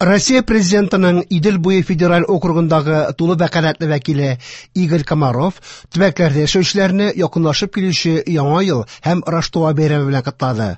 Россия Президентының Идел буе федераль округындагы тулы вәкаләтле вәкиле Игорь Комаров төбәкләрдә яшәүчеләрне якынлашып килүче Яңа ел һәм Раштуа бәйрәме белән котлады.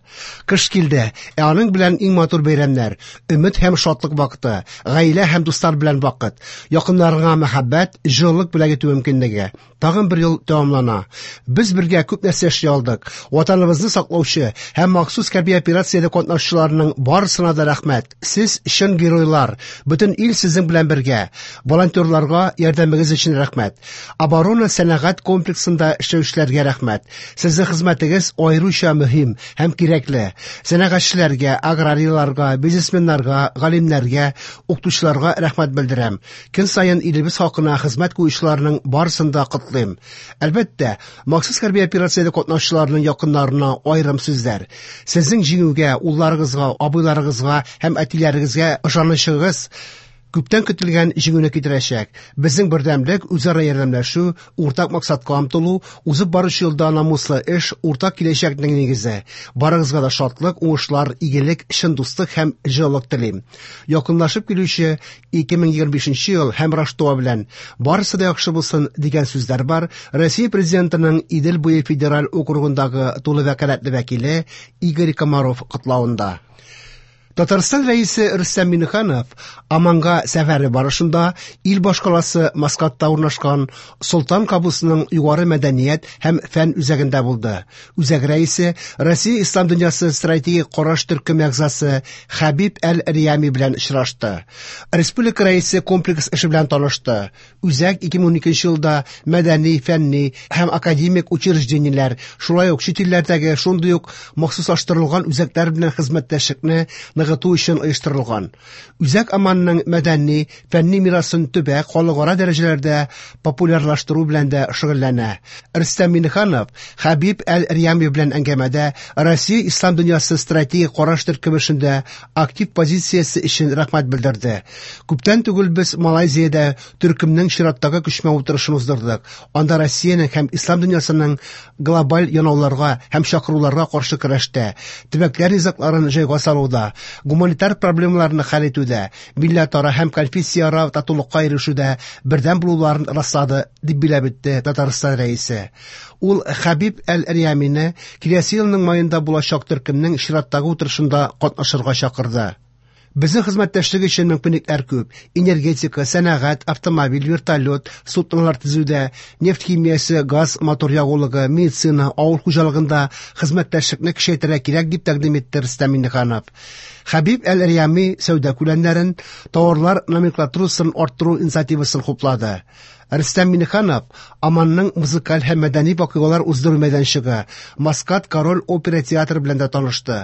Кыш килде, ә аның белән иң матур бәйрәмнәр, өмет һәм шатлык вакыты, гаилә һәм дуслар белән вакыт, якыннарыңа мәхәббәт, җылылык бүләк итү мөмкинлеге. Тагын бер ел тәмамлана. Без бергә күп нәрсә эшли алдык. Ватаныбызны саклаучы һәм махсус хәрби операциядә катнашучыларның барысына да рәхмәт. Сез чын геройлар. Бөтен ил сезнең белән бергә. Волонтерларга ярдәмегез өчен рәхмәт. Оборона сәнәгать комплексында эшләүчеләргә рәхмәт. Сезнең хезмәтегез аеруча мөһим һәм кирәкле. Сәнәгатьчеләргә, аграрийларга, бизнесменнарга, галимнәргә, укытучыларга рәхмәт белдерәм. Көн саен илебез хакына хезмәт куючыларның барысын да котлыйм. Әлбәттә, махсус хәрби операциядә катнашучыларның якыннарына аерым сүзләр. Сезнең җиңүгә, улларыгызга, абыйларыгызга һәм әтиләрегезгә ышанычыгыз күптән көтелгән җиңүне китерәчәк. Безнең бердәмлек, үзара ярдәмләшү, уртак максатка омтылу, узып баручы елда намуслы эш, уртак киләчәкнең нигезе. Барыгызга да шатлык, уңышлар, игелек, чын дуслык һәм җылылык телим. Якынлашып килүче 2025 ел һәм Раштуа белән барысы да яхшы булсын дигән сүзләр бар. Россия Президентының Идел буе федераль округындагы тулы вәкаләтле вәкиле Игорь Комаров котлавында. Татарстан Рәисе Рөстәм Миңнеханов Оманга сәфәре барышында ил башкаласы Маскатта урнашкан Солтан Кабусның югары мәдәният һәм фән үзәгендә булды. Үзәк рәисе Россия Ислам дөньясы стратегик караш төркеме әгъзасы Хәбиб Әл-Риями белән очрашты. Республика рәисе комплекс эше белән танышты. Үзәк 2012 елда мәдәни, фәнни һәм академик учреждениеләр, шулай ук чит илләрдәге шундый ук махсуслаштырылган үзәкләр белән хезмәттәшлекне ныгыту өчен оештырылган. Үзәк Оманның мәдәни, фәнни мирасын төбәк, халыкара дәрәҗәләрдә популярлаштыру белән дә шөгыльләнә. Рөстәм Миңнеханов Хәбиб Әл-Риями белән әңгәмәдә Россия Ислам дөньясы стратегик караш төркеме эшендә актив позициясе өчен рәхмәт белдерде. Күптән түгел без Малайзиядә төркемнең чираттагы күчмә утырышын уздырдык. Анда Россиянең һәм ислам дөньясының глобаль янауларга һәм чакыруларга каршы көрәштә, төбәкләр низагларын җайга салуда, гуманитар проблемаларны хәл итүдә, милләтара һәм конфессияара татулыкка ирешүдә бердәм булуларын раслады, дип билгеләп үтте Татарстан Рәисе. Ул Хәбиб Әл-Риямине киләсе елның маенда булачак төркемнең чираттагы утырышында катнашырга чакырды. Безнең хезмәттәшлек өчен мөмкинлекләр күп: энергетика, сәнәгать, автомобиль, вертолет, суднолар төзүдә, нефть химиясе, газ, мотор ягулыгы, медицина, авыл хуҗалыгында хезмәттәшлекне көчәйтергә кирәк, дип тәкъдим итте Рөстәм Миңнеханов. Хәбиб Әл-Риями сәүдә күләмнәрен, товарлар номенклатурасын арттыру инициативасын хуплады. Рөстәм Миңнеханов Оманның музыкаль һәм мәдәни вакыйгалар уздыру мәйданчыгы Маскат Король опера театры белән дә танышты.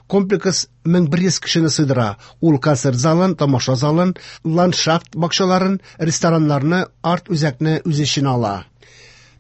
Комплекс 1100 кешене сыйдыра. Ул концерт залын, тамаша залын, ландшафт бакчаларын, рестораннарны, арт-үзәкне үз эченә ала.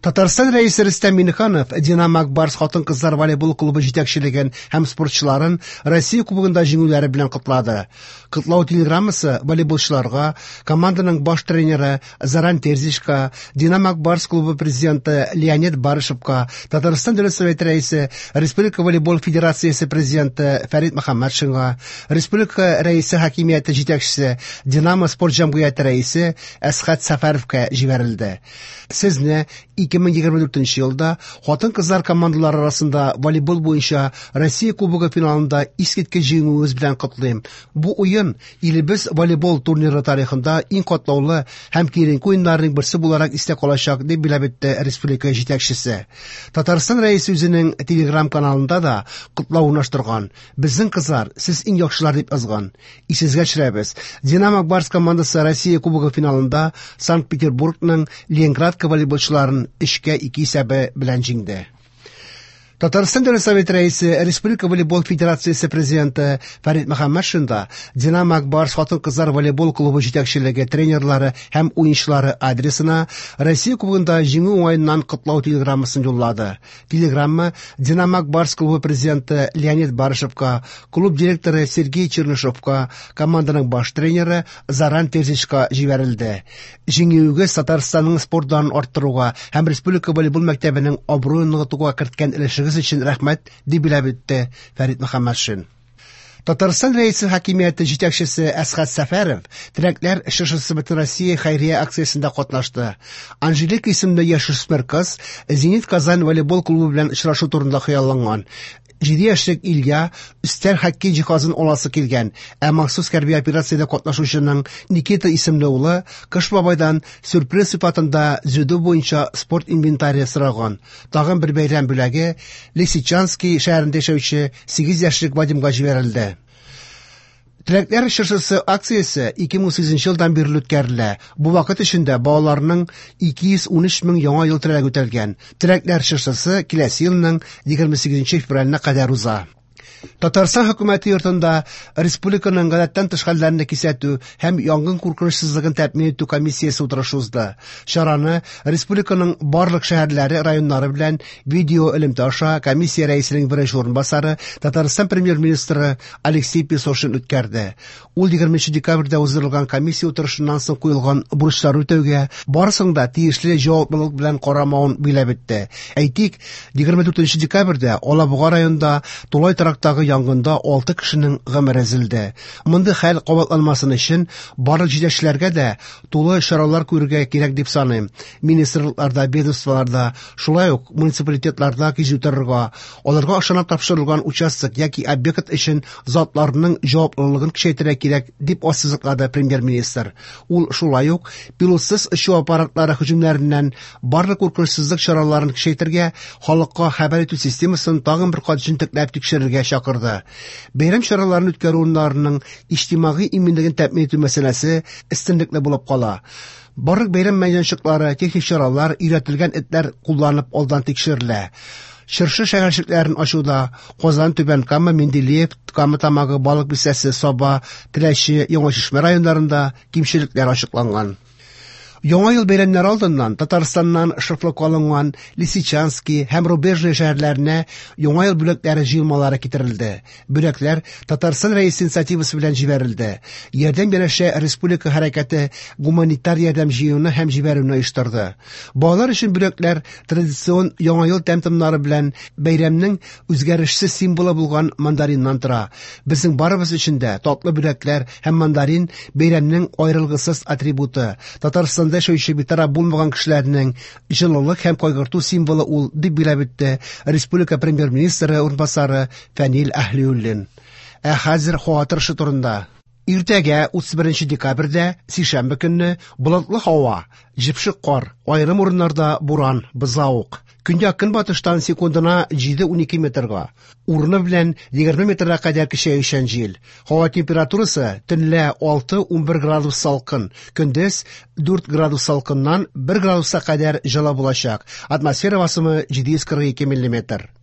Татарстан Рәисе Рөстәм Миңнеханов Динамо Ак Барс хатын-кызлар волейбол клубы җитәкчелеген һәм спортчыларын Россия Кубогында җиңүләре белән котлады. Котлау телеграммасы волейболчыларга, команданың баш тренеры Зоран Терзичка, Динамо Ак Барс клубы президенты Леонид Барышевка, Татарстан Дәүләт Советы рәисе, Республика волейбол федерациясе президенты Фәрит Мөхәммәтшинга, Республика рәисе хакимияте җитәкчесе, Динамо спорт җәмгыяте рәисе Әсхәт Сәфәровка җибәрелде. Сезне 2024 елда хатын-кызлар командалары арасында волейбол буенча Россия Кубогы финалында искиткеч җиңүегез белән котлыйм. Бу уен илебез волейбол турниры тарихында иң катлаулы һәм киеренке уеннарның берсе буларак истә калачак, дип билгеләп үтте республика җитәкчесе. Татарстан Рәисе үзенең Telegram-каналында да котлау урнаштырган. Безнең кызлар, сез иң яхшылар, дип язган. Исегезгә төшерәбез, Динамо Ак Барс командасы Россия Кубогы финалында Санкт-Петербургның Ленинградка волейболчыларын 3-2 исәбе белән җиңде. Татарстан Дәүләт Советы рәисе, Республика волейбол федерациясе президенты Фәрит Мөхәммәтшин да Динамо Ак Барс хатын-кызлар волейбол клубы җитәкчелеге, тренерлары һәм уенчылары адресына Россия Кубогында җиңү уңаеннан котлау телеграммасын юллады. Телеграмма Динамо Ак Барс клубы президенты Леонид Барышевка, клуб директоры Сергей Чернышевка, команданың баш тренеры Зоран Терзичка җибәрелде. Җиңүегез Татарстанның спорт данын арттыруга һәм республика волейбол мәктәбенең абруен ныгытуга керткән өлешегез өчен рәхмәт, дип билгеләп үтте Фәрит Мөхәммәтшин. Татарстан Рәисе хакимияте җитәкчесе Әсхәт Сәфәров Теләкләр чыршысы Бөтенроссия хәйрия акциясендә катнашты. Анжелика исемле яшүсмер кыз Зенит Казан волейбол клубы белән очрашу турында хыялланган. 7 яшьлек Илья өстәл хоккей җиһазын аласы килгән, ә махсус хәрби операциядә катнашучының Никита исемле улы Кыш бабайдан сюрприз сыйфатында дзюдо буенча спорт инвентаре сораган. Тагын бер бәйрәм бүләге Лисичанский шәһәрендә яшәүче 8 яшьлек Вадимга җибәрелде. Теләкләр чыршысы акциясе 2008 елдан бирле үткәрелә. Бу вакыт эчендә балаларның 213 мең яңа ел теләге үтәлгән. Теләкләр чыршысы киләсе елның 28 февраленә кадәр уза. Татарстан хөкүмәте йортында республиканың гадәттән тыш хәлләрне кисәтү һәм янгын куркынычсызлыгын тәэмин итү комиссиясе утырышы узды. Чараны республиканың барлык шәһәрләре, районнары белән видео элемтә аша комиссия рәисенең беренче урынбасары, Татарстан премьер-министры Алексей Песошин үткәрде. Ул 20 декабрьдә уздырылган комиссия утырышыннан соң куелган бурычларны үтәүгә барысын да тиешле җаваплылык белән карамавын биләп үтте. Әйтик, 24 декабрьдә Алабуга районында тулай торактагы янгында 6 кешенең гомере өзелде. Мондый хәл кабатланмасын өчен барлык җитәкчеләргә дә тулы чаралар күрергә кирәк дип саныйм. Министрлыкларда, ведомстволарда, шулай ук муниципалитетларда кизү торырга, аларга ышанып тапшырылган участок яки объект өчен затларның җаваплылыгын көчәйтергә кирәк, дип ассызыклады премьер-министр. Ул шулай ук пилотсыз очу аппаратлары һөҗүмнәреннән барлык куркынычсызлык чараларын көчәйтергә, халыкка хәбәр итү системасын тагын бер кат җентекләп тикшерергә чакырды. Бәйрәм чараларын үткәрү урыннарының иҗтимагый иминлеген тәэмин итү мәсьәләсе өстенлекле булып кала. Барлык бәйрәм мәйданчыклары, техник чаралар, өйрәтелгән этләр кулланып алдан тикшерелә. Чыршы шәһәрчекләрен ачуда Казан, Түбән Кама, Менделеев, Кама Тамагы, Балык Бистәсе, Саба, Теләче, Яңа Чишмә районнарында кимчелекләр ачыкланган. Яңа ел бәйрәмнәре алдыннан Татарстаннан шефлыкка алынган Лисичанский һәм Рубежное шәһәрләренә Яңа ел бүләкләре җыелмалары китерелде. Бүләкләр Татарстан Рәисе инициативасы белән җибәрелде. Ярдәм янәшә республика хәрәкәте гуманитар ярдәм җыюны һәм җибәрүне оештырды. Балалар өчен бүләкләр традицион Яңа ел тәм-томнары белән бәйрәмнең үзгәрешсез символы булган мандариннан тора. Безнең барыбыз өчен дә татлы бүләкләр һәм мандарин бәйрәмнең аерылгысыз атрибуты. Татарстанда яшәүче битараф булмаган кешеләрнең җылылык һәм кайгырту символы ул, дип билгеләп үтте республика премьер-министры урынбасары Фәнил Әһлиуллин. Ә хәзер һава торышы турында. Иртәгә 31 декабрьдә, сишәмбе көнне, болытлы һава, җепшек кар, аерым урыннарда буран, бозлавык. Көньяк-көнбатыштан секундына 7-12 метрга, урыны белән 20 метрга кадәр көчәючән җил. Һава температурасы төнлә 6-11 градус салкын, көндез 4 градус салкыннан 1 градуска кадәр җылы булачак. Атмосфера басымы 742 миллиметр.